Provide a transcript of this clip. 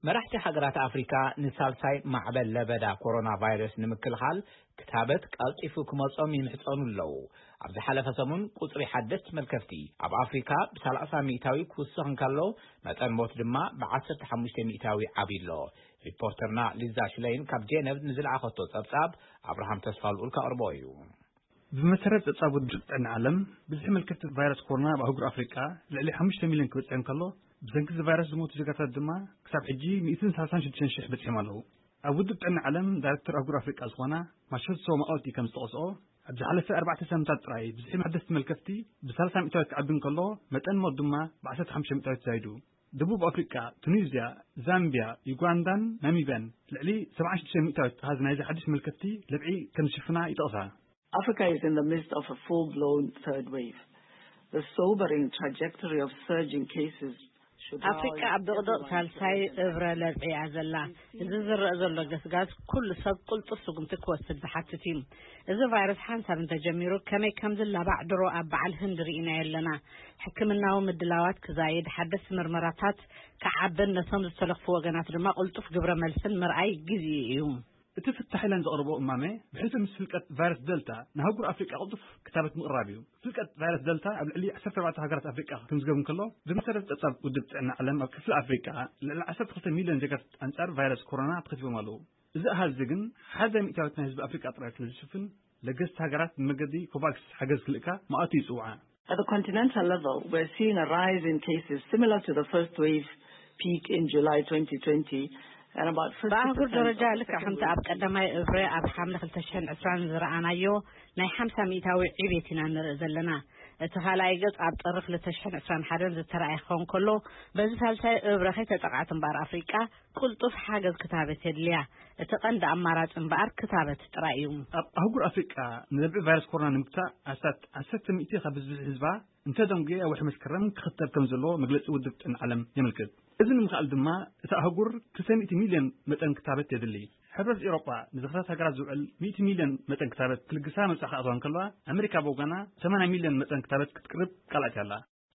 መራሕቲ ሃገራት ኣፍሪካ ንሳልሳይ ማዕበል ለበዳ ኮሮና ቫይረስ ንምክልኻል ክታበት ቀልጢፉ ክመጾም ይምሕጸኑ ኣለዉ። ኣብ ዝሓለፈ ሰሙን ቁጽሪ ሓደስቲ መልከፍቲ ኣብ ኣፍሪካ ብ30% ክውስኽ እንከሎ፣ መጠን ሞት ድማ ብ15% ዓብዩ ኣሎ። ሪፖርተርና ሊዛ ሽለይን ካብ ጄነቭ ንዝለኣኸቶ ጸብጻብ ኣብርሃም ተስፋ ልኡል ከቕርቦ እዩ። ብመሰረት ጸብጻብ ውድብ ጥዕና ዓለም፣ ብዝሒ መልከፍቲ ቫይረስ ኮሮና ኣብ ኣህጉር ኣፍሪቃ ልዕሊ ሓሙሽተ ሚልዮን ክበጽሕ እንከሎ፣ ብሰንኪ እዚ ቫይረስ ዝሞቱ ዜጋታት ድማ ክሳብ ሕጂ ሚእትን ሰላሳን ሽዱሽተን ሽሕ በጺሖም ኣለዉ። ኣብ ውድብ ጥዕና ዓለም ዳይሬክተር ኣህጉር ኣፍሪቃ ዝኾና ማሸትሶ ማኦቲ ከም ዝጠቐስኦ፣ ኣብ ዝሓለፈ ኣርባዕተ ሳምንታት ጥራይ ብዝሒ ሓደስቲ መልከፍቲ ብ30 ሚእታዊት ክዓቢ እንከሎ፣ መጠን ሞት ድማ ብ15 ሚእታዊት ዛይዱ። ደቡብ ኣፍሪቃ፣ ቱኒዝያ፣ ዛምቢያ፣ ዩጋንዳን ናሚብያን ልዕሊ ሰብዓን ሽዱሽተን ሚእታዊት ኣሃዝ ናይዚ ሓድሽ መልከፍቲ ለብዒ ከም ዝሽፍና ይጠቕሳ። Africa is in the midst of a full-blown third wave. The sobering trajectory of surging cases should draw ኣፍሪቃ ኣብ ድቕድቕ ሳልሳይ እብረ ለብዒ እያ ዘላ። እዚ ዝረአ ዘሎ ገስጋስ ኩሉ ሰብ ቅልጡፍ ስጉምቲ ክወስድ ዝሓትት እዩ። እዚ ቫይረስ ሓንሳብ እንተጀሚሩ ከመይ ከም ዝላባዕ ድሮ ኣብ በዓል ህንዲ ርኢናዮ ኣለና። ሕክምናዊ ምድላዋት ክዛይድ፣ ሓደስቲ ምርመራታት ክዓብን ነቶም ዝተለኽፉ ወገናት ድማ ቅልጡፍ ግብረ መልስን ምርኣይ ግዜኡ እዩ። እቲ ፍታሕ ኢለን ዘቕርቦ እማመ ብሕልፊ ምስ ፍልቀት ቫይረስ ደልታ ንኣህጉር ኣፍሪቃ ቅልጡፍ ክታበት ምቕራብ እዩ። ፍልቀት ቫይረስ ደልታ ኣብ ልዕሊ ዓሰርተ ኣርባዕተ ሃገራት ኣፍሪቃ ክምዝገብ እንከሎ፣ ብመሰረት ጸብጻብ ውድብ ጥዕና ዓለም ኣብ ክፍሊ ኣፍሪቃ ልዕሊ ዓሰርተ ክልተ ሚልዮን ዜጋታት ኣንጻር ቫይረስ ኮሮና ተኸቲቦም ኣለዉ። እዚ ኣሃዝ እዚ ግን ሓደ ሚእታዊት ናይ ህዝቢ ኣፍሪቃ ጥራይ ስለ ዝሽፍን፣ ለገስቲ ሃገራት ብመገዲ ኮቫክስ ሓገዝ ክልእካ ማእቱ ይጽውዓ። At the continental level, we're seeing a rise in cases similar to the first wave peak in July twenty twenty, and about ብኣህጉር ደረጃ ልክዕ ከምቲ ኣብ ቀዳማይ እብረ ኣብ ሓምለ ክልተ ሽሕን ዕስራን ዝረኣናዮ ናይ ሓምሳ ሚእታዊ ዕቤት ኢና ንርኢ ዘለና። እቲ ካልኣይ ገጽ ኣብ ጥሪ ክልተ ሽሕን ዕስራን ሓደን ዝተረኣየ ክኸውን ከሎ፣ በዚ ሳልሳይ እብረ ከይተጠቕዓት እምበኣር ኣፍሪቃ ቅልጡፍ ሓገዝ ክታበት የድልያ። እቲ ቀንዲ ኣማራጺ እምበኣር ክታበት ጥራይ እዩ። ኣብ ኣህጉር ኣፍሪቃ ንለብዒ ቫይረስ ኮሮና ንምግታእ ኣስታት ዓሰርተ ሚእቲ ካብ ብዝሒ ህዝባ እንተደንጉየ ኣብ ወርሒ መስከረም ክኽተብ ከም ዘለዎ መግለጺ ውድብ ጥዕና ዓለም የመልክት። እዚ ንምኽኣል ድማ እታ ኣህጉር ክልተ ሚእቲ ሚልዮን መጠን ክታበት የድሊ። ሕብረት ኤውሮጳ ንዝኽታት ሃገራት ዝውዕል ሚእቲ ሚልዮን መጠን ክታበት ክልግሳ መብጻዕ ክኣትዋ እንከለዋ፣ ኣሜሪካ ብወገና ሰማንያ ሚልዮን መጠን ክታበት ክትቅርብ ቃል ኣትያ ኣላ።